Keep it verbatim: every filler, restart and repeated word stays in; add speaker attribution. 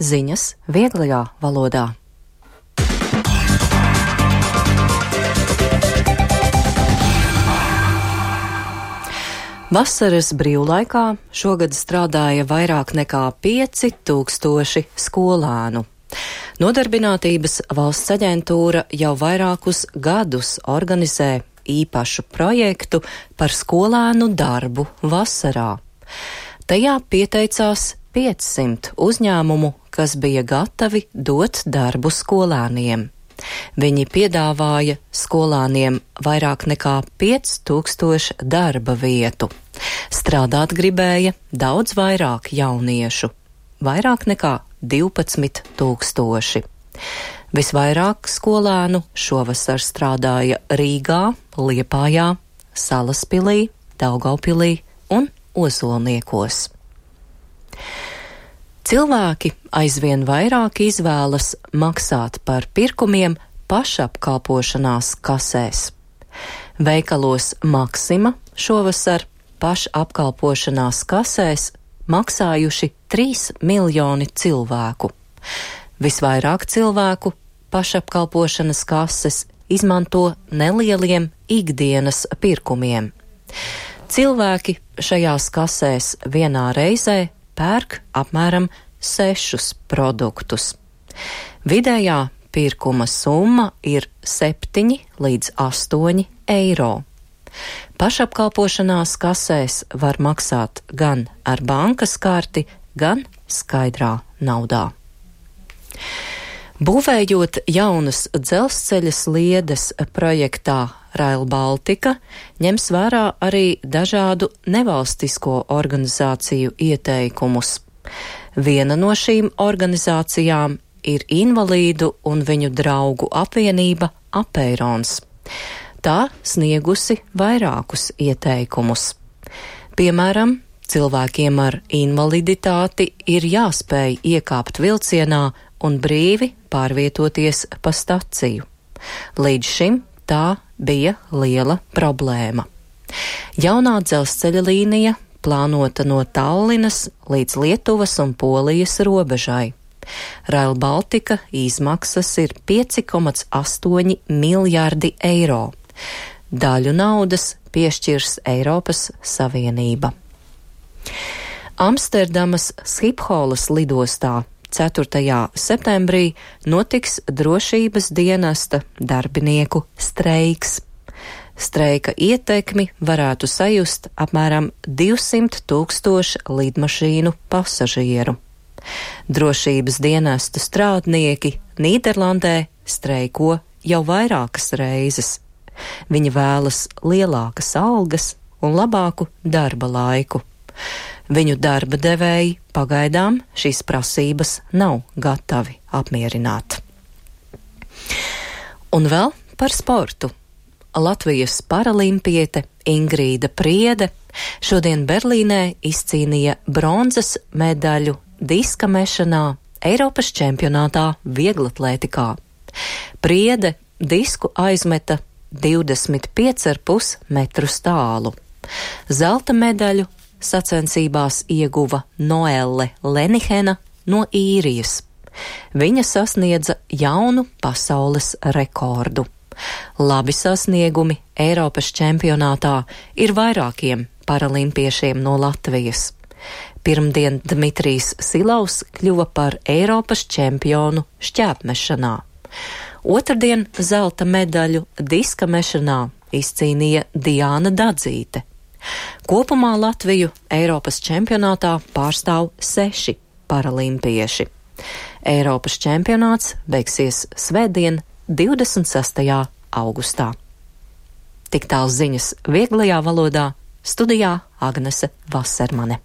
Speaker 1: Ziņas vieglajā valodā. Vasaras brīvlaikā šogad strādāja vairāk nekā pieci tūkstoši skolēnu. Nodarbinātības valsts aģentūra jau vairākus gadus organizē īpašu projektu par skolēnu darbu vasarā. Tajā pieteicās piecsimt uzņēmumu, kas bija gatavi dot darbu skolēniem. Viņi piedāvāja skolēniem vairāk nekā pieci tūkstoši darba vietu. Strādāt gribēja daudz vairāk jauniešu, vairāk nekā divpadsmit tūkstoši. Visvairāk skolēnu šovasar strādāja Rīgā, Liepājā, Salaspilī, Daugavpilī un Ozolniekos. Cilvēki aizvien vairāk izvēlas maksāt par pirkumiem pašapkalpošanās kasēs. Veikalos Maksima šovasar pašapkalpošanās kasēs maksājuši trīs miljoni cilvēku. Visvairāk cilvēku pašapkalpošanas kases izmanto nelieliem ikdienas pirkumiem. Cilvēki šajās kasēs vienā reizē pērk apmēram sešus produktus. Vidējā pirkuma summa ir septiņi līdz astoņi eiro. Pašapkalpošanās kasēs var maksāt gan ar bankas karti, gan skaidrā naudā. Būvējot jaunas dzelzceļa sliedes projektā Rail Baltica, ņems vērā arī dažādu nevalstisko organizāciju ieteikumus. Viena no šīm organizācijām ir Invalīdu un viņu draugu apvienība Apeirons. Tā sniegusi vairākus ieteikumus. Piemēram, cilvēkiem ar invaliditāti ir jāspēj iekāpt vilcienā un brīvi pārvietoties pa staciju. Līdz šim tā bija liela problēma. Jaunā dzelzceļa līnija plānota no Tallinas līdz Lietuvas un Polijas robežai. Rail Baltica izmaksas ir pieci komats astoņi miljārdi eiro. Daļu naudas piešķirs Eiropas Savienība. Amsterdamas Schipholas lidostā ceturtajā septembrī notiks drošības dienesta darbinieku streiks. Streika ietekmi varētu sajust apmēram divsimt tūkstoši lidmašīnu pasažieru. Drošības dienesta strādnieki Nīderlandē streiko jau vairākas reizes. Viņi vēlas lielākas algas un labāku darba laiku. Viņu darba devēji pagaidām šīs prasības nav gatavi apmierināt. Un vēl par sportu. Latvijas paralimpiete Ingrīda Priede šodien Berlīnē izcīnīja bronzas medaļu diska mešanā Eiropas čempionātā vieglatlētikā. Priede disku aizmeta divdesmit pieci ar pus metrus tālu. Zelta medaļu sacensībās ieguva Noelle Lenihena no Īrijas. Viņa sasniedza jaunu pasaules rekordu. Labi sasniegumi Eiropas čempionātā ir vairākiem paralimpiešiem no Latvijas. Pirmdien Dmitrijs Silaus kļuva par Eiropas čempionu šķēpmešanā. Otrdien zelta medaļu diska mešanā izcīnīja Diāna Dadzīte. Kopumā Latviju Eiropas čempionātā pārstāv seši paralimpieši. Eiropas čempionāts beigsies svētdien, divdesmit sestajā augustā. Tik tālu ziņas vieglajā valodā, studijā Agnese Vasermane.